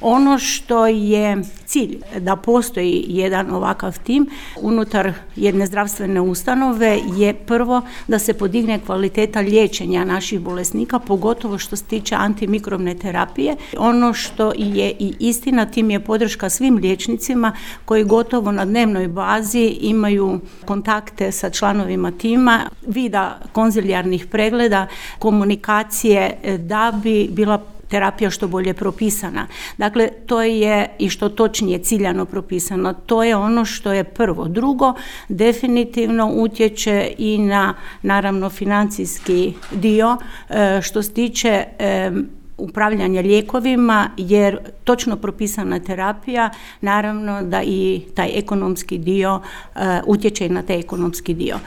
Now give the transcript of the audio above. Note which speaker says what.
Speaker 1: Ono što je cilj da postoji jedan ovakav tim unutar jedne zdravstvene ustanove je prvo da se podigne kvaliteta liječenja naših bolesnika, pogotovo što se tiče antimikrobne terapije. Ono što je i istina, tim je podrška svim liječnicima koji gotovo na dnevnoj bazi imaju kontakte sa članovima tima, vida konzilijarnih pregleda, komunikacije da bi bila terapija što bolje propisana. Dakle, to je i što točnije ciljano propisano. To je ono što je prvo. Drugo, definitivno utječe i na, naravno, financijski dio što se tiče upravljanja lijekovima, jer točno propisana terapija, naravno da i taj ekonomski dio utječe i na taj ekonomski dio.